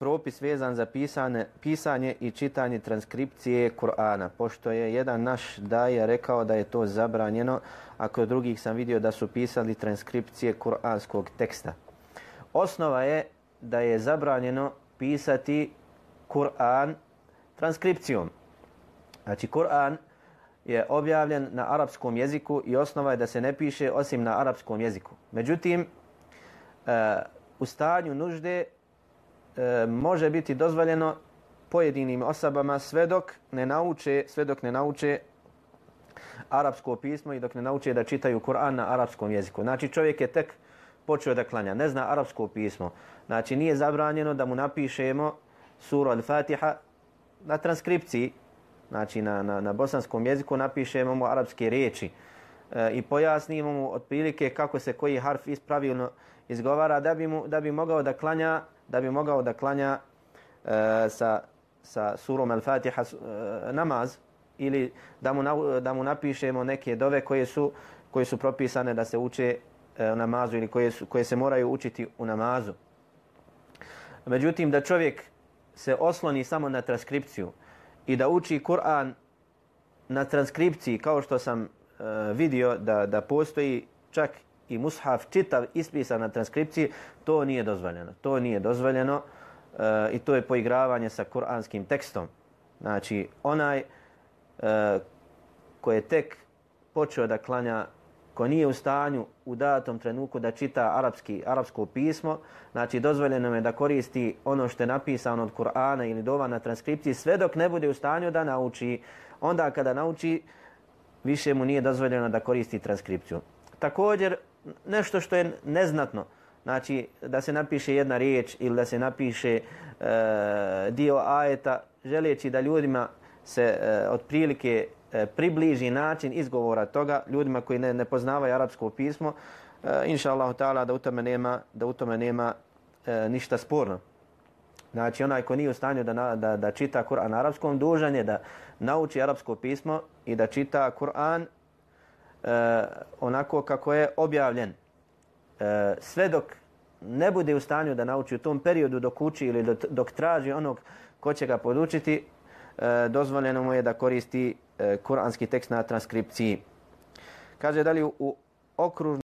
propis vezan za pisanje i čitanje transkripcije Kur'ana, pošto je jedan naš daja rekao da je to zabranjeno, a kod drugih sam vidio da su pisali transkripcije kur'anskog teksta. Osnova je da je zabranjeno pisati Kur'an transkripcijom. Znači, Kur'an je objavljen na arapskom jeziku i osnova je da se ne piše osim na arapskom jeziku. Međutim, u stanju nužde može biti dozvoljeno pojedinim osobama sve dok ne nauče arapsko pismo i dok ne nauče da čitaju Kur'an na arapskom jeziku. Znači, čovjek je tek počeo da klanja, ne zna arapsko pismo. Znači, nije zabranjeno da mu napišemo suru Al-Fatiha na transkripciji, znači na bosanskom jeziku napišemo mu arapske riječi i pojasnimo mu otprilike kako se koji harf pravilno izgovara da bi mogao da klanja sa surom Al-Fatiha namaz, ili da mu napišemo neke dove koje su propisane da se uče u namazu ili koje se moraju učiti u namazu. Međutim, da čovjek se osloni samo na transkripciju i da uči Kur'an na transkripciji, kao što sam vidio da postoji čak i mushaf čitav ispisan na transkripciji, to nije dozvoljeno i to je poigravanje sa kuranskim tekstom. Znači, onaj ko je tek počeo da klanja, ko nije u stanju u datom trenutku da čita arapsko pismo, znači dozvoljeno je da koristi ono što je napisano od Kur'ana ili dova na transkripciji sve dok ne bude u stanju da nauči. Onda kada nauči, više mu nije dozvoljeno da koristi transkripciju. Također, nešto što je neznatno, znači da se napiše jedna riječ ili da se napiše dio ajeta, želeći da ljudima se otprilike približi način izgovora toga, ljudima koji ne poznavaju arapsko pismo, inša Allahu ta'ala da u tome nema ništa sporno. Znači, onaj ko nije u stanju da čita Kur'an na arapskom, dužan je da nauči arapsko pismo i da čita Kur'an onako kako je objavljen. Sve dok ne bude u stanju da nauči u tom periodu dok uči ili dok traži onog ko će ga podučiti, dozvoljeno mu je da koristi kuranski tekst na transkripciji. Kaže dalje, u okružnom